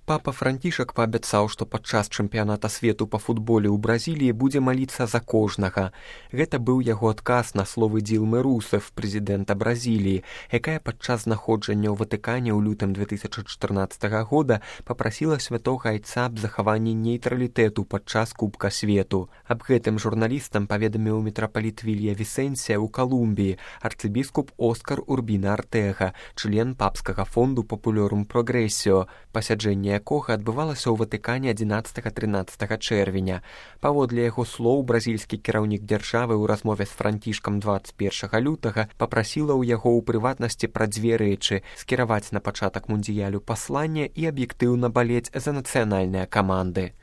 Папа Францішак паабяцаў, што падчас чэмпіяната свету па футболе ў Бразіліі будзе маліцца за кожнага. Гэта быў яго адказ на словы Дзілмы Русеф, прэзідэнта Бразіліі, якая падчас знаходжання ў Ватыкане ў лютым 2014 года папрасіла святога айца аб захаванні нейтралітэту падчас Кубка свету. Аб гэтым журналістам паведаміў мітрапаліт Вілья Вісэнсія ў Калумбіі, арцыбіскуп Оскар Урбіна Артэга, член папскага фонду Папулёрум Прогрэсіо, пасяджэнне якога адбывалася ў Ватыкане 11-13 чэрвеня. Паводле яго слоў, бразільскі кіраўнік дзяржавы ў размове з Францішкам 21 лютага папрасіла ў яго ў прыватнасці пра дзве рэчы: скіраваць на пачатак мундыялю пасланне і аб'ектыўна балець за нацыянальныя каманды.